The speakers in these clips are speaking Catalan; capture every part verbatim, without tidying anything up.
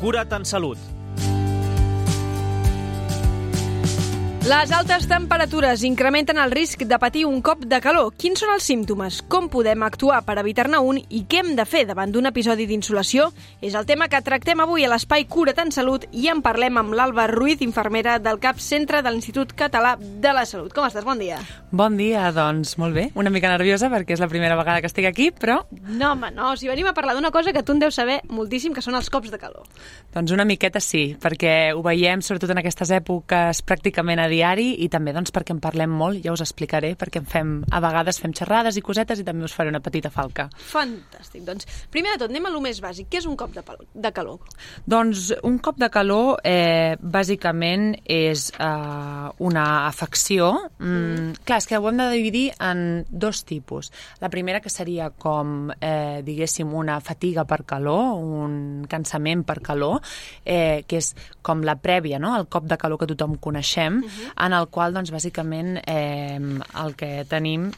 Cura't en Salut. Les altes temperatures incrementen el risc de patir un cop de calor. Quins són els símptomes? Com podem actuar per evitar-ne un? I què hem de fer davant d'un episodi d'insolació? És el tema que tractem avui a l'Espai Cura't en Salut i en parlem amb l'Alba Ruiz, infermera del C A P Centre de l'Institut Català de la Salut. Com estàs? Bon dia. Bon dia, doncs molt bé. Una mica nerviosa perquè és la primera vegada que estic aquí, però... No, home, no. Si venim a parlar d'una cosa que tu en deus saber moltíssim, que són els cops de calor. Doncs una miqueta sí, perquè ho veiem sobretot en aquestes èpoques pràcticament a diari i també doncs, perquè en parlem molt, ja us explicaré, perquè en fem, a vegades fem xerrades i cosetes i també us faré una petita falca. Fantàstic. Doncs, primer de tot, anem a lo més bàsic. Què és un cop de, de calor? Doncs un cop de calor, eh, bàsicament, és eh, una afecció. Mm, mm. Clar, és que ho hem de dividir en dos tipus. La primera, que seria com, eh, diguéssim, una fatiga per calor, un cansament per calor, eh, que és com la prèvia, no?, el cop de calor que tothom coneixem, uh-huh. en el qual, doncs, bàsicament, eh, el que tenim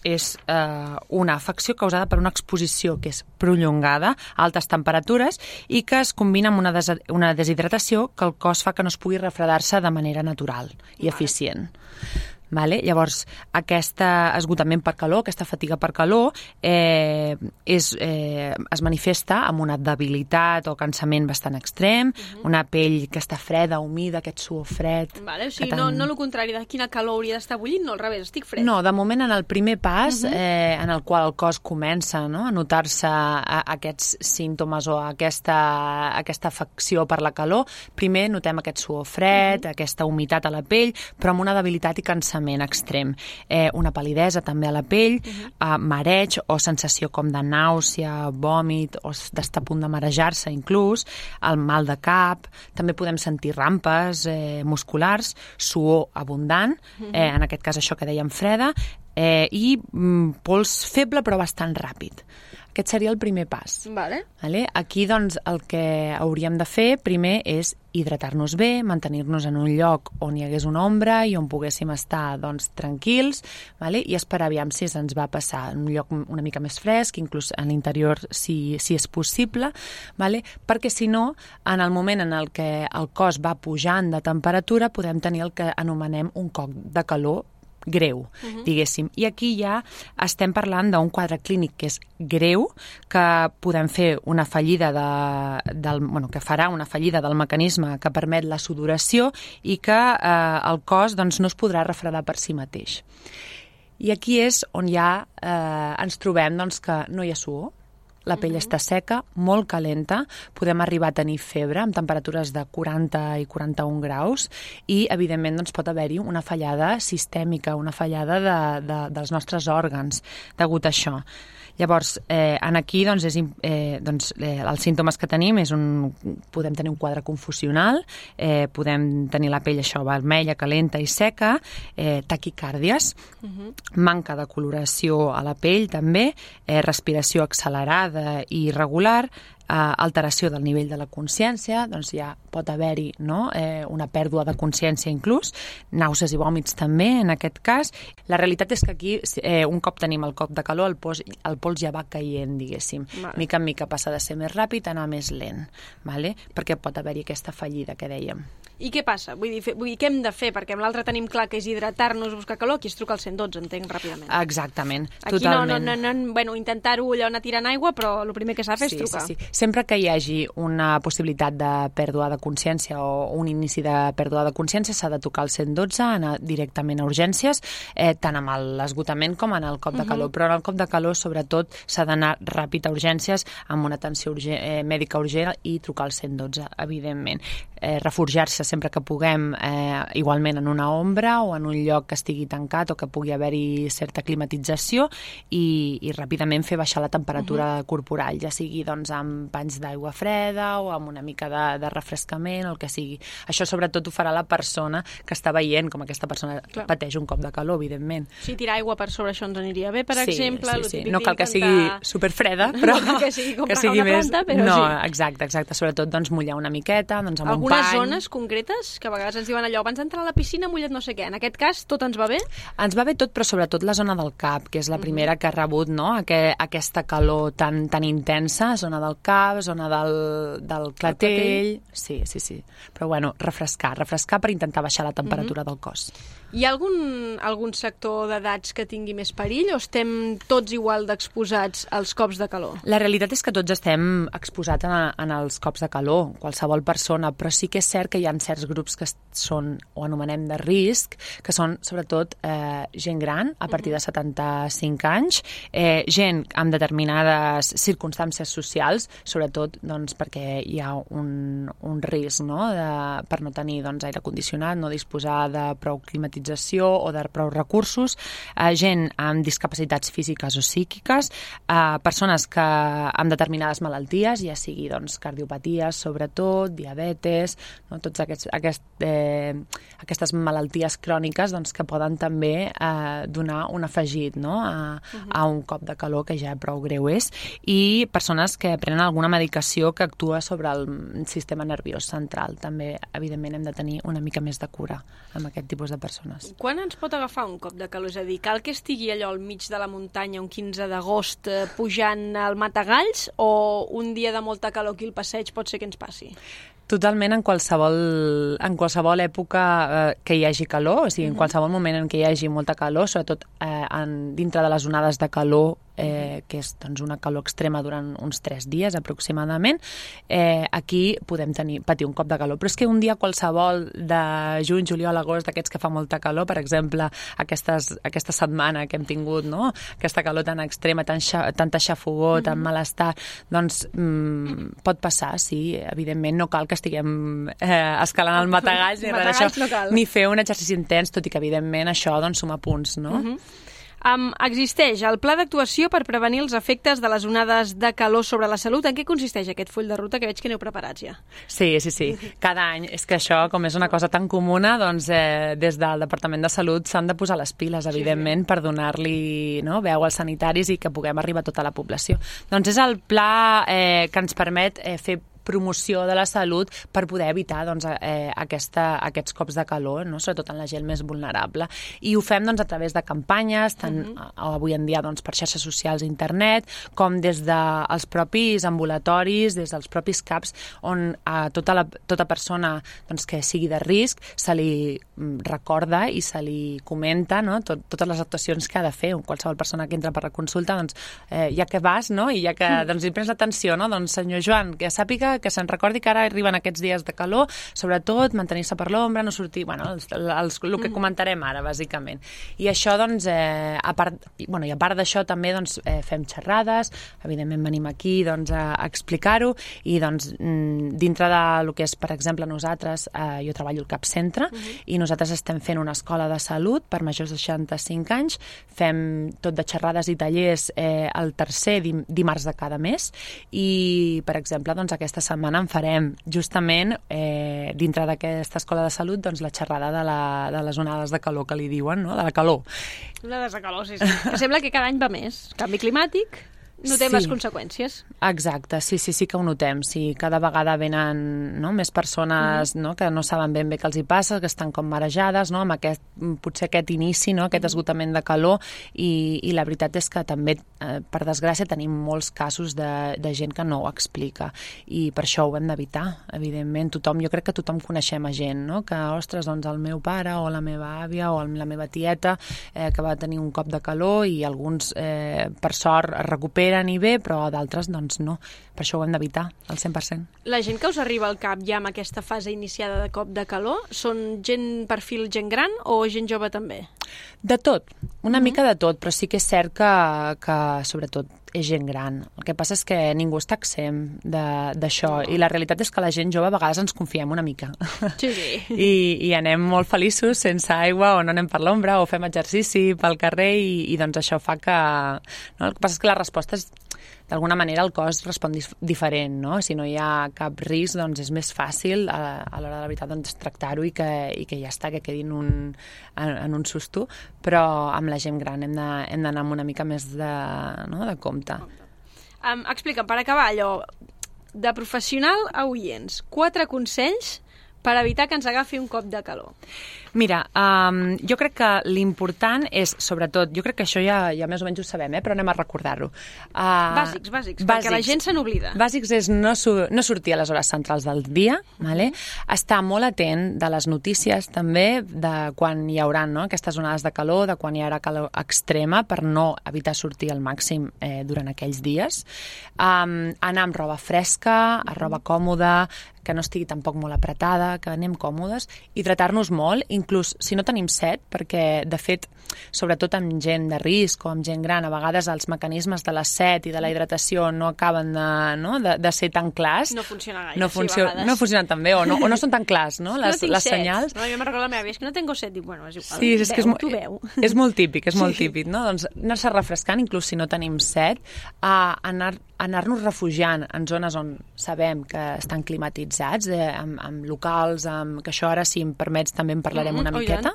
és eh, una afecció causada per una exposició que és prolongada a altes temperatures i que es combina amb una, des una deshidratació que el cos fa que no es pugui refredar-se de manera natural i eficient. Vale? Llavors, aquest esgotament per calor, aquesta fatiga per calor, eh, és, eh, es manifesta amb una debilitat o cansament bastant extrem, uh-huh. una pell que està freda, humida, aquest suor fred... Vale, o sigui, tant... no, no el contrari de quina calor hauria d'estar bullint, no, al revés, estic fred. No, de moment en el primer pas, uh-huh. eh, en el qual el cos comença, no?, a notar-se a, a aquests símptomes o a aquesta, a aquesta afecció per la calor, primer notem aquest suor fred, uh-huh. aquesta humitat a la pell, però amb una debilitat i cansament extrem. Eh, una pal·lidesa també a la pell, uh-huh. eh, mareig o sensació com de nàusea, vòmit, o d'estar a punt de marejar-se inclús, el mal de cap, també podem sentir rampes eh, musculars, suor abundant, uh-huh. eh, en aquest cas això que dèiem freda, eh, i mm, pols feble però bastant ràpid. Aquest seria el primer pas. Vale. Vale? Aquí, doncs, el que hauríem de fer primer és hidratar-nos bé, mantenir-nos en un lloc on hi hagués una ombra i on poguéssim estar, doncs, tranquils, vale? I esperar aviam si se'ns va passar en un lloc una mica més fresc, inclús a l'interior si, si és possible, vale? Perquè si no, en el moment en el que el cos va pujant de temperatura, podem tenir el que anomenem un cop de calor greu, uh-huh. diguéssim. I aquí ja estem parlant d'un quadre clínic que és greu, que podem fer una fallida de, del, bueno, que farà una fallida del mecanisme que permet la sudoració i que eh, el cos doncs, no es podrà refredar per si mateix. I aquí és on ja eh, ens trobem doncs, que no hi ha suor, la pell uh-huh. està seca, molt calenta, podem arribar a tenir febre amb temperatures de quaranta i quaranta-un graus i, evidentment, doncs, pot haver-hi una fallada sistèmica, una fallada de, de, dels nostres òrgans degut a això. Llavors, eh, en aquí, doncs, és, eh, doncs, eh, els símptomes que tenim és un... podem tenir un quadre confusional, eh, podem tenir la pell això vermella, calenta i seca, eh, taquicàrdies, uh-huh. manca de coloració a la pell també, eh, respiració accelerada i irregular, eh, alteració del nivell de la consciència, doncs ja pot haver-hi, no?, eh, una pèrdua de consciència inclús, nàusees i vòmits també en aquest cas. La realitat és que aquí, eh, un cop tenim el cop de calor, el pols, el pols ja va caient, diguéssim. Vale. Mica en mica passa de ser més ràpid a anar més lent, vale? Perquè pot haver-hi aquesta fallida que dèiem. I què passa? Vull dir, fe, vull dir, què hem de fer? Perquè amb l'altre tenim clar que és hidratar-nos, buscar calor, aquí es truca al cent dotze, entenc, ràpidament. Exactament, aquí totalment. Aquí no, no, no, bueno, intentar-ho allò anar tirant aigua, però el primer que s'ha de fer és sí, trucar. Sí, sí. Sempre que hi hagi una possibilitat de pèrdua de consciència o un inici de pèrdua de consciència, s'ha de tocar el cent dotze, anar directament a urgències, eh, tant amb l'esgotament com en el cop de calor. Uh-huh. Però en el cop de calor, sobretot, s'ha d'anar ràpid a urgències amb una atenció urgent, eh, mèdica urgent i trucar al cent dotze, evidentment. Eh, refugiar-se sempre que puguem, eh, igualment en una ombra o en un lloc que estigui tancat o que pugui haver-hi certa climatització i, i ràpidament fer baixar la temperatura uh-huh. corporal, ja sigui doncs, amb panys d'aigua freda o amb una mica de, de refrescament o el que sigui. Això sobretot ho farà la persona que està veient com aquesta persona Clar. pateix un cop de calor, evidentment. Sí, tirar aigua per sobre això ens aniria bé, per sí, exemple. Sí, sí. No cal que sigui superfreda, però no que sigui, que sigui una més... planta, però no, sí. exacte, exacte. Sobretot doncs, mullar una miqueta, doncs amb Algunes un pany. zones concretes concretes? Que a vegades ens diuen allò, abans d'entrar a la piscina mullet no sé què. En aquest cas, tot ens va bé? Ens va bé tot, però sobretot la zona del cap, que és la primera que ha rebut, no? Aqu aquesta calor tan, tan intensa, zona del cap, zona del, del clatell... Sí, sí, sí. Però bueno, refrescar, refrescar per intentar baixar la temperatura uh-huh. del cos. Hi ha algun, algun sector d'edats que tingui més perill o estem tots igual d'exposats als cops de calor? La realitat és que tots estem exposats en, en els cops de calor, qualsevol persona, però sí que és cert que hi ha certs grups que són, o anomenem de risc, que són sobretot eh, gent gran, a partir de setanta-cinc anys, eh, gent amb determinades circumstàncies socials, sobretot doncs, perquè hi ha un, un risc, no? de, per no tenir doncs, aire condicionat, no disposar de prou climatització o de prou recursos, eh, gent amb discapacitats físiques o psíquiques, eh, persones que amb determinades malalties, ja sigui doncs, cardiopaties, sobretot, diabetes, no? tots aquests, aquest, eh, aquestes malalties cròniques doncs, que poden també eh, donar un afegit no? a, uh-huh. a un cop de calor que ja prou greu és, i persones que prenen alguna medicació que actua sobre el sistema nerviós central. També, evidentment, hem de tenir una mica més de cura amb aquest tipus de persones. Quan ens pot agafar un cop de calor? És a dir, cal que estigui allò al mig de la muntanya un quinze d'agost eh, pujant al Matagalls o un dia de molta calor aquí al passeig pot ser que ens passi? Totalment en qualsevol, en qualsevol època eh, que hi hagi calor, o sigui, uh-huh. en qualsevol moment en què hi hagi molta calor, sobretot eh, en, dintre de les onades de calor, eh, que és doncs, una calor extrema durant uns tres dies aproximadament, eh, aquí podem tenir, patir un cop de calor. Però és que un dia qualsevol de juny, juliol, agost, d'aquests que fa molta calor, per exemple, aquestes, aquesta setmana que hem tingut, no? Aquesta calor tan extrema, tan xa, tanta xafogor, uh-huh. tan malestar, doncs mm, pot passar, sí, evidentment no cal que estiguem eh, escalant el Matagalls ni res d'això, no ni fer un exercici intens, tot i que evidentment això doncs, suma punts, no? Uh-huh. Um, existeix el pla d'actuació per prevenir els efectes de les onades de calor sobre la salut. En què consisteix aquest full de ruta que veig que aneu preparats ja? Sí, sí, sí. Cada any. És que això, com és una cosa tan comuna, doncs eh, des del Departament de Salut s'han de posar les piles, evidentment, sí. per donar-li no, veu als sanitaris i que puguem arribar a tota la població. Doncs és el pla eh, que ens permet eh, fer promoció de la salut per poder evitar doncs, eh, aquesta, aquests cops de calor, no? Sobretot en la gent més vulnerable. I ho fem doncs, a través de campanyes, tant uh-huh. avui en dia doncs, per xarxes socials i internet, com des dels propis ambulatoris, des dels propis CAPs, on a tota, la, tota persona doncs, que sigui de risc se li recorda i se li comenta no? Tot, totes les actuacions que ha de fer. Qualsevol persona que entra per la consulta, doncs, eh, ja que vas no? I ja que doncs, hi prens l'atenció, no? Doncs, senyor Joan, que sàpiga que se'n recordi que ara arriben aquests dies de calor, sobretot mantenir-se per l'ombra, no sortir, bueno, els, els, el que comentarem ara, bàsicament. I això, doncs, eh, a part, bueno, i a part d'això també doncs, eh, fem xerrades, evidentment venim aquí doncs, a, a explicar-ho, i doncs, dintre de lo que és, per exemple, nosaltres, eh, jo treballo al CAP Centre, uh-huh. i nosaltres estem fent una escola de salut per majors de seixanta-cinc anys, fem tot de xerrades i tallers eh, el tercer dim dimarts de cada mes, i, per exemple, doncs, aquesta setmana en farem justament eh, dintre d'aquesta escola de salut doncs, la xerrada de, la, de les onades de calor que li diuen, no? De la calor. Onades de calor, sí, sí. Que sembla que cada any va més. Canvi climàtic... Notem sí. les conseqüències. Exacte, sí, sí, sí que ho notem. Sí, cada vegada venen no, més persones uh-huh. no, que no saben ben bé què els hi passa, que estan com marejades, no, amb aquest, potser aquest inici, no, aquest uh-huh. esgotament de calor, i, i la veritat és que també, eh, per desgràcia, tenim molts casos de, de gent que no ho explica, i per això ho hem d'evitar, evidentment. Tothom, jo crec que tothom coneixem a gent, no, que, ostres, doncs el meu pare o la meva àvia o la meva tieta eh, que va tenir un cop de calor i alguns, eh, per sort, es recuperen i bé, però d'altres doncs no. Per això ho hem d'evitar, al cent per cent. La gent que us arriba al cap ja amb aquesta fase iniciada de cop de calor, són gent perfil gent gran o gent jove també? De tot, una uh-huh. mica de tot, però sí que és cert que, que sobretot és gent gran. El que passa és que ningú està exempt d'això, no. I la realitat és que la gent jove a vegades ens confiem una mica. Sí, sí. I, i anem molt feliços sense aigua, o no anem per l'ombra, o fem exercici pel carrer, i, i doncs això fa que... No? El que passa és que la resposta és... D'alguna manera el cos respon dif diferent, no? Si no hi ha cap risc, doncs és més fàcil a, a l'hora de la veritat doncs, tractar-ho i, que, i que ja està, que quedi en un, en, en un susto, però amb la gent gran hem d'anar amb una mica més de, no? de compte. Um, explica'm, per acabar allò, de professional a oients, quatre consells per evitar que ens agafi un cop de calor? Mira, um, jo crec que l'important és, sobretot, jo crec que això ja, ja més o menys ho sabem, eh? Però anem a recordar-ho. Uh, bàsics, bàsics, bàsics, perquè la gent se n'oblida. Bàsics és no, su no sortir a les hores centrals del dia, vale? Estar molt atent de les notícies també, de quan hi haurà, no? Aquestes onades de calor, de quan hi haurà calor extrema, per no evitar sortir al màxim eh, durant aquells dies. Um, anar amb roba fresca, a roba còmoda, que no estigui tampoc molt apretada, que anem còmodes, i tratar-nos molt, inclús si no tenim set, perquè, de fet, sobretot amb gent de risc o amb gent gran, a vegades els mecanismes de la set i de la hidratació no acaben de, no, de, de ser tan clars. No funciona gaire, no sí, funcio a vegades. No funcionen tan bé, o no, o no són tan clars, no? Les, no les set. senyals. No, jo me'n recordo la meva àvia, és que no tengo set. Dic, bueno, és igual. Sí, és veu, que és, tu veu. és molt típic, és molt Sí. típic, no? Doncs anar-se refrescant, inclús si no tenim set, a anar anar-nos refugiant en zones on sabem que estan climatitzats, eh, amb, amb locals, amb, que això ara, si em permets, també en parlarem Mm-hmm, una oh, miqueta.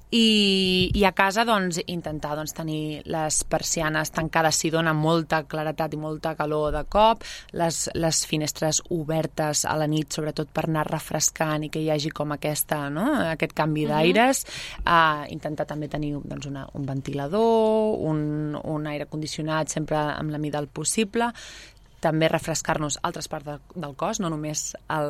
I, I a casa, doncs, intentar doncs, tenir les persianes tancades si dona molta claretat i molta calor de cop, les, les finestres obertes a la nit, sobretot per anar refrescant i que hi hagi com aquesta, no? Aquest canvi d'aires. Uh, intentar també tenir doncs, una, un ventilador, un, un aire condicionat sempre amb la mida del possible. També refrescar-nos altres parts de, del cos, no només, el,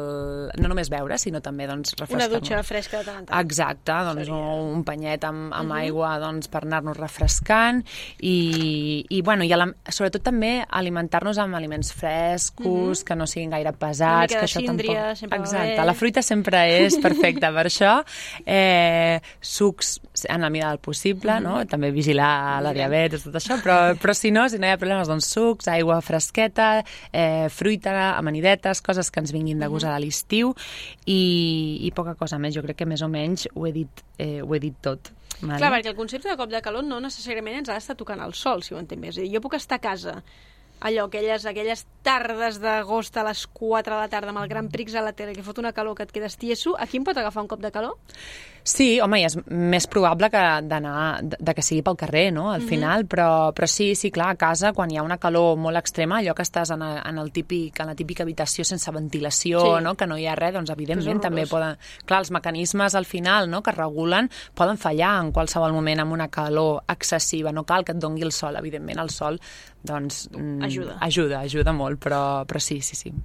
no només beure, sinó també doncs, refrescar-nos. Una dutxa fresca de tant en tant. Exacte, doncs, Seria... un penyet amb, amb Uh-huh. aigua doncs, per anar-nos refrescant i, i, bueno, i la, sobretot també alimentar-nos amb aliments frescos, uh-huh. que no siguin gaire pesats. Una mica que de això síndria, tampoc... sempre va Exacte, bé. la fruita sempre és perfecta per això. Eh, sucs en la mida del possible, uh-huh. no? També vigilar la diabetes, tot això, però, però si no, si no hi ha problemes, doncs sucs, aigua fresqueta, eh, fruita, amanidetes, coses que ens vinguin de gust a l'estiu i, i poca cosa més. Jo crec que més o menys ho he dit, eh, ho he dit tot. Vale? Clar, perquè el concepte de cop de calor no necessàriament ens ha d'estar tocant el sol, si ho entenc bé. És a dir, jo puc estar a casa, allò, aquelles, aquelles tardes d'agost a les quatre de la tarda amb el Gran Prix a la tele que fot una calor que et quedes tieso, aquí em pot agafar un cop de calor? Sí, home, i és més probable que d'anar, de, de que sigui pel carrer, no?, al final, mm-hmm. però, però sí, sí, clar, a casa, quan hi ha una calor molt extrema, allò que estàs en, a, en, el típic, en la típica habitació sense ventilació, sí. no?, que no hi ha res, doncs evidentment també poden... Clar, els mecanismes al final, no?, que regulen, poden fallar en qualsevol moment amb una calor excessiva. No cal que et dongui el sol, evidentment, el sol, doncs... Ajuda. Ajuda, ajuda molt, però, però sí, sí, sí.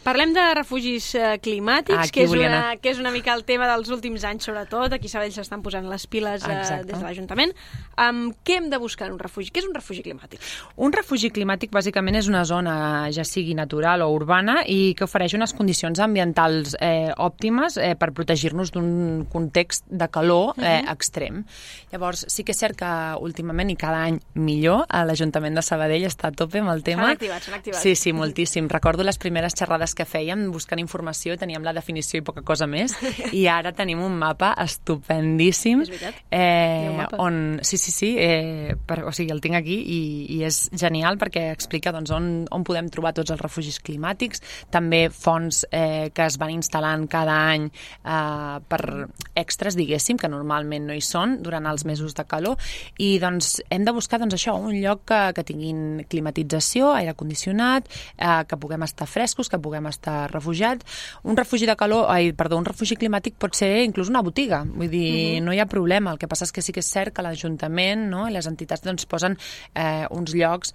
Parlem de refugis eh, climàtics, ah, que, és una, que és una mica el tema dels últims anys, sobretot. Aquí a Sabadell s'estan posant les piles eh, des de l'Ajuntament. Um, què hem de buscar en un refugi? Què és un refugi climàtic? Un refugi climàtic, bàsicament, és una zona, ja sigui natural o urbana, i que ofereix unes condicions ambientals eh, òptimes eh, per protegir-nos d'un context de calor eh, uh-huh. extrem. Llavors, sí que és cert que últimament, i cada any millor, l'Ajuntament de Sabadell està a tope amb el tema. S'han activat, s'han activat. Sí, sí, moltíssim. Recordo les primeres xerrades que fèiem buscant informació, teníem la definició i poca cosa més, i ara tenim un mapa estupendíssim. És veritat? Eh, on, sí, sí, sí, eh, per, o sigui, el tinc aquí i, i és genial perquè explica doncs, on, on podem trobar tots els refugis climàtics, també fonts eh, que es van instal·lant cada any eh, per extras, diguéssim, que normalment no hi són durant els mesos de calor, i doncs hem de buscar doncs, això, un lloc que, que tinguin climatització, aire condicionat, eh, que puguem estar frescos, que puguem estar refugiats. Un refugi de calor, ai, perdó, un refugi climàtic pot ser inclús una botiga, vull dir, uh-huh. no hi ha problema. El que passa és que sí que és cert que l'Ajuntament, no, i les entitats doncs, posen eh, uns llocs,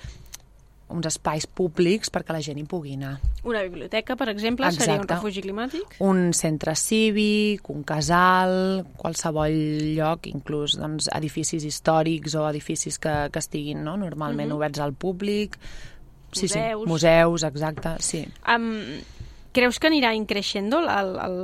uns espais públics perquè la gent hi pugui anar. Una biblioteca, per exemple, Exacte. Seria un refugi climàtic? Un centre cívic, un casal, qualsevol lloc, inclús doncs, edificis històrics o edificis que, que estiguin no, normalment uh-huh. oberts al públic. Sí, museus. Sí, museus, exacte, sí. Um, creus que anirà increixendo el, el,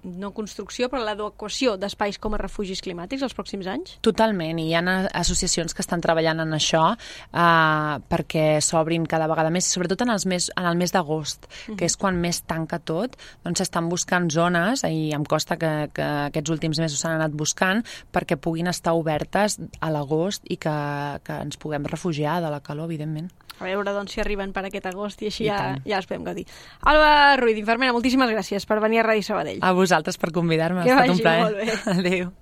no construcció, però l'adequació d'espais com a refugis climàtics els pròxims anys? Totalment, i hi ha associacions que estan treballant en això eh, perquè s'obrin cada vegada més, sobretot en, els mes, en el mes d'agost, uh-huh. que és quan més tanca tot, doncs s'estan buscant zones, i em costa que, que aquests últims mesos s'han anat buscant, perquè puguin estar obertes a l'agost i que, que ens puguem refugiar de la calor, evidentment. A veure, doncs, si arriben per aquest agost i així I ja, tant. ja els podem gaudir. Alba Ruiz, infermera, moltíssimes gràcies per venir a Ràdio Sabadell. A vosaltres per convidar-me, ha que estat un vagi plaer. Molt bé. Adéu.